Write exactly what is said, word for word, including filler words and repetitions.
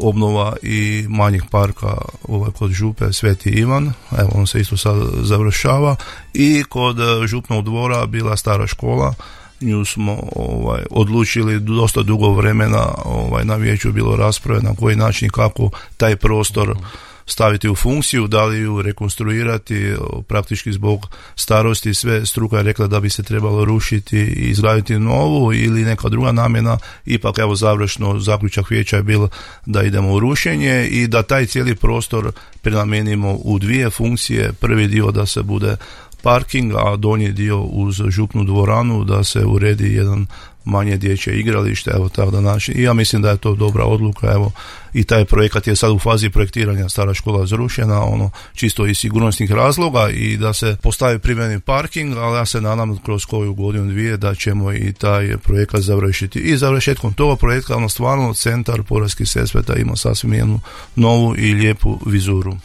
obnova i manjeg parka ovaj, kod Župe Sveti Ivan, evo on se isto sad završava, i kod Župnog dvora bila stara škola, nju smo ovaj, odlučili dosta dugo vremena, ovaj, na vijeću bilo rasprave na koji način i kako taj prostor staviti u funkciju, da li ju rekonstruirati, praktički zbog starosti sve struka je rekla da bi se trebalo rušiti i izgraditi novu ili neka druga namjena, ipak evo završno zaključak vijeća je bilo da idemo u rušenje i da taj cijeli prostor prenamijenimo u dvije funkcije, prvi dio da se bude parking, a donji dio uz župnu dvoranu da se uredi jedan manje dječje igralište, evo tako da naši, i ja mislim da je to dobra odluka, evo i taj projekat je sad u fazi projektiranja, stara škola zrušena, ono čisto iz sigurnosnih razloga i da se postavi primjereni parking, ali ja se nadam kroz koju godinu dvije da ćemo i taj projekat završiti. I završetkom toga projekta, ono stvarno centar Podravskih Sesveta ima sasvim jednu novu i lijepu vizuru.